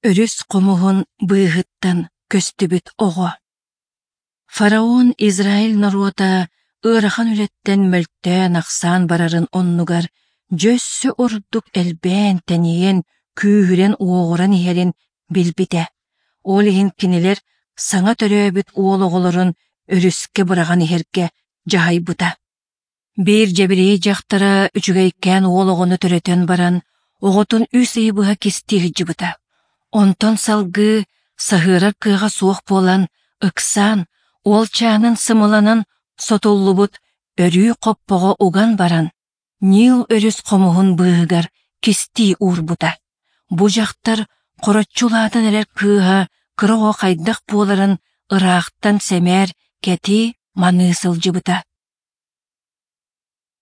Өрүс хомуһун быыһыттан көстүбүт оҕо. Фараон Израиль норуота ыарахан үлэттэн мөлтөөн-ахсаан барарын оннугар дьэ өссө ордук элбээн-тэнийэн, күүһүрэн-уоҕуран иһэрин билбитэ. Ол иһин кинилэр саҥа төрөөбүт уол оҕолорун өрүскэ быраҕан иһэргэ дьаһайбыта. Биир дьэбириэй дьахтара үчүгэйкээн уол оҕону төрөтөн баран, оҕотун үс ыйы быһа кистии сылдьыбыта. Онтон салгыы саһыарар кыаҕа суох буолан, ыксаан, уолчаанын сымаланан сотуллубут өрүү хоппоҕо уган баран, Нил өрүс хомуһун быыһыгар кистии уурбута. Бу дьахтар хороччу улаатан эрэр кыыһа кыра оҕо хайдах буоларын ыраахтан сэмээр кэтии маныы сылдьыбыта.